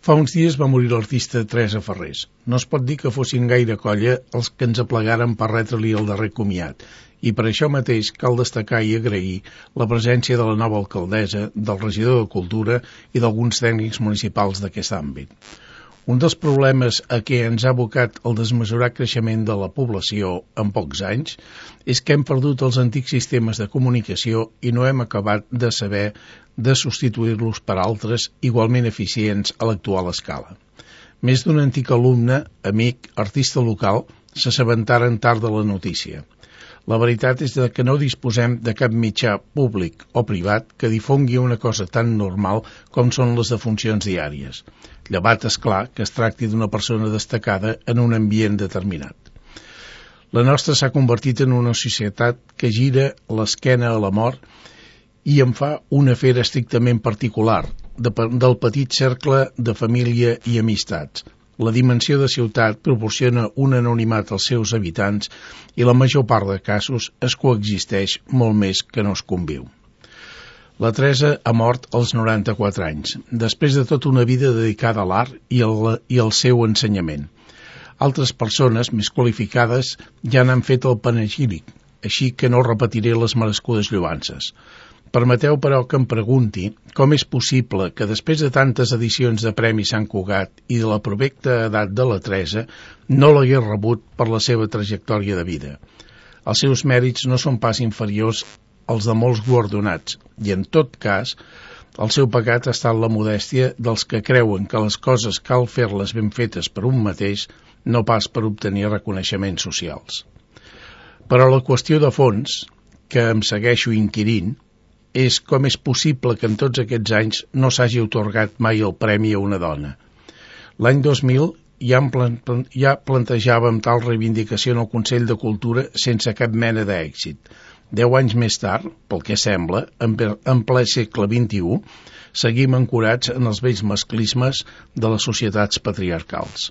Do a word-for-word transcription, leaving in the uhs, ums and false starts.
Fa uns dies va morir l'artista Teresa Farrés. No es pot dir que fossin gaire colla els que ens aplegaren per retre-li el darrer comiat, i per això mateix cal destacar i agrair la presència de la nova alcaldessa, del regidor de Cultura i d'alguns tècnics municipals d'aquest àmbit. Un dels problemes a què ens ha abocat el desmesurat creixement de la població en pocs anys és que hem perdut els antics sistemes de comunicació i no hem acabat de saber de substituir-los per altres igualment eficients a l'actual escala. Més d'un antic alumne, amic, artista local, s'assabentaren tard de la notícia. La veritat és que no disposem de cap mitjà públic o privat que difongui una cosa tan normal com són les defuncions diàries. Llevat, és clar, que es tracti d'una persona destacada en un ambient determinat. La nostra s'ha convertit en una societat que gira l'esquena a la mort i en fa un afer estrictament particular, de, del petit cercle de família i amistats. La dimensió de ciutat proporciona un anonimat als seus habitants i la major part de casos es coexisteix molt més que no es conviu. La Teresa ha mort als noranta-quatre anys, després de tota una vida dedicada a l'art i, i al seu ensenyament. Altres persones més qualificades ja n'han fet el panegíric, així que no repetiré les merescudes lloances. Permeteu, però, que em pregunti com és possible que després de tantes edicions de Premi Sant Cugat i de la provecta edat de la Teresa no l'hagués rebut per la seva trajectòria de vida. Els seus mèrits no són pas inferiors als de molts guardonats i, en tot cas, el seu pecat ha estat la modèstia dels que creuen que les coses cal fer-les ben fetes per un mateix, no pas per obtenir reconeixements socials. Però la qüestió de fons, que em segueixo inquirint, és com és possible que en tots aquests anys no s'hagi atorgat mai el premi a una dona. L'any dos mil ja, plan, ja plantejàvem tal reivindicació en el Consell de Cultura sense cap mena d'èxit. Deu anys més tard, pel que sembla, en, en ple segle vint-i-u, seguim ancorats en els vells masclismes de les societats patriarcals.